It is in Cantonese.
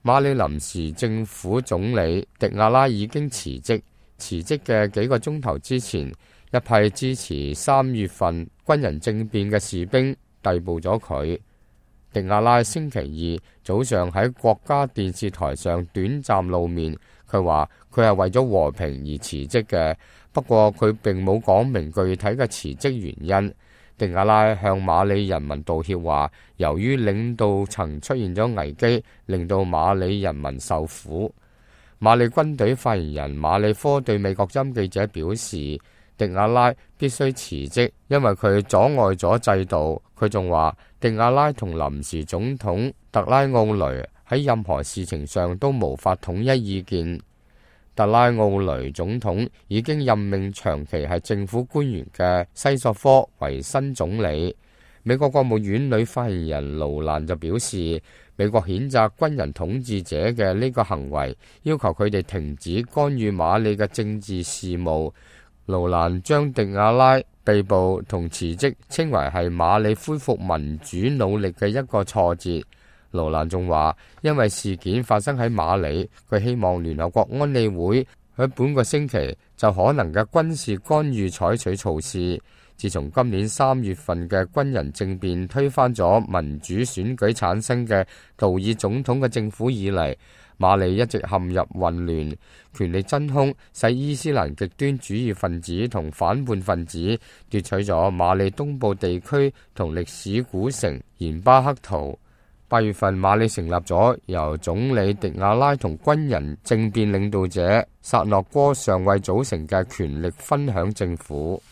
馬里臨時政府總理迪亞拉已經辭職。辭職嘅幾個鐘頭之前，一批支持3月份軍人政變嘅士兵逮捕咗佢。迪亞拉星期二早上喺國家電視台上短暫露面，佢話佢係為咗和平而辭職嘅，不過佢並冇講明具體嘅辭職原因。迪亞拉向馬里人民道歉，話由於領導層出現咗危機，令到馬里人民受苦。馬里軍隊發言人馬里科對美國音記者表示，迪亞拉必須辭職，因為佢阻礙咗制度。佢仲話，迪亞拉同臨時總統特拉奧雷喺任何事情上都無法統一意見。特拉奧雷總統已經任命長期係政府官員嘅西索科為新總理。美國國務院女發言人盧蘭就表示，美國譴責軍人統治者嘅呢個行為，要求佢哋停止干預馬里嘅政治事務。盧蘭將迪亞拉被捕同辭職稱為係馬里恢復民主努力嘅一個挫折。盧蘭仲話，因為事件發生喺馬里，佢希望聯合國安理會喺本個星期就可能嘅軍事干預採取措施。自從今年3月份嘅軍人政變推翻咗民主選舉產生嘅杜爾總統嘅政府以嚟，馬里一直陷入混亂，權力真空使伊斯蘭極端主義分子同反叛分子奪取咗馬里東部地區同歷史古城鹽巴克圖。8月份，馬里成立咗由總理迪亞拉同軍人政變領導者薩諾戈上尉組成嘅權力分享政府。